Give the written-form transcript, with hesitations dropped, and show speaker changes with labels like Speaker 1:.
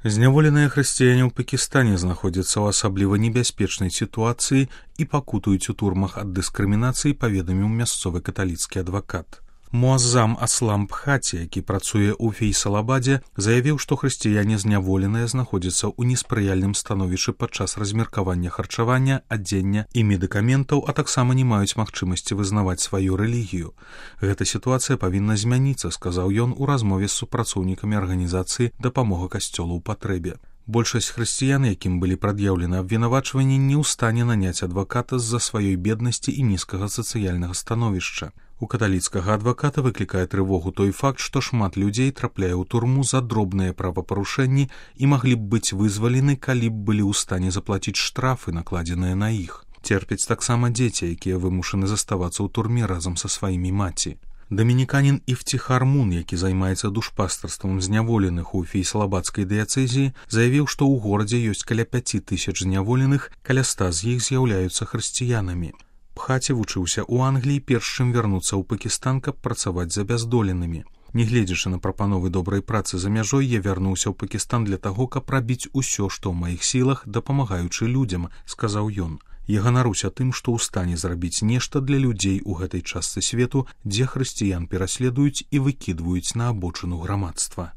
Speaker 1: Зняволеныя хрысціяне ў Пакістане знаходзяцца ў асабліва небяспечнай сітуацыі і пакутуюць у турмах ад дыскрымінацыі, паведаміў мясцовы каталіцкі адвакат. Муаззам Аслам Бхати, які працуе ў Фейсалабадзе, заявіў, што хрысціяне зняволеныя знаходзяцца ў неспрыяльным становішчы падчас размеркавання харчавання, адзення і медыкаментаў, а таксама не маюць магчымасці вызнаваць сваю рэлігію. Гэта сітуацыя павінна змяніцца, сказаў ён у размове з супрацоўнікамі арганізацыі «Дапамога касцёлу ў патрэбе». Большасць хрысціян, якім былі прад'яўлены абвінавачванні, не ў стане наняць адваката з-за сваёй беднасці і нізкага сацыяльнага становішча. У каталіцкага адваката выклікае трывогу той факт, што шмат людзей трапляе ў турму за дробныя правапарушэнні і маглі б быць вызвалены, калі б былі ў стане заплаціць штрафы, накладзеныя на іх. Церпяць таксама дзеці, якія вымушаны заставацца ў турме разам са сваімі маці. Дамініканін Ифтихар Мун, які займаецца душпастарствам зняволеных у Фейсалабадскай дыяцэзіі, заявіў, што ў горадзе ёсць каля 5000 зняволеных, каля 100 з іх з'яўляюцца хрысціянамі. Бхати вучыўся ў Англіі, перш чым вярнуцца ў Пакістан, каб працаваць за бяздоленымі. Нягледзячы на прапановы добрай працы за мяжой, я вярнуўся ў Пакістан для таго, каб рабіць усё, што ў маіх сілах, дапамагаючы людзям, сказаў ён. Я ганаруся тым, што ў стане зрабіць нешта для людзей у гэтай частцы свету, дзе хрысціян пераследуюць і выкідваюць на абочыну грамадства.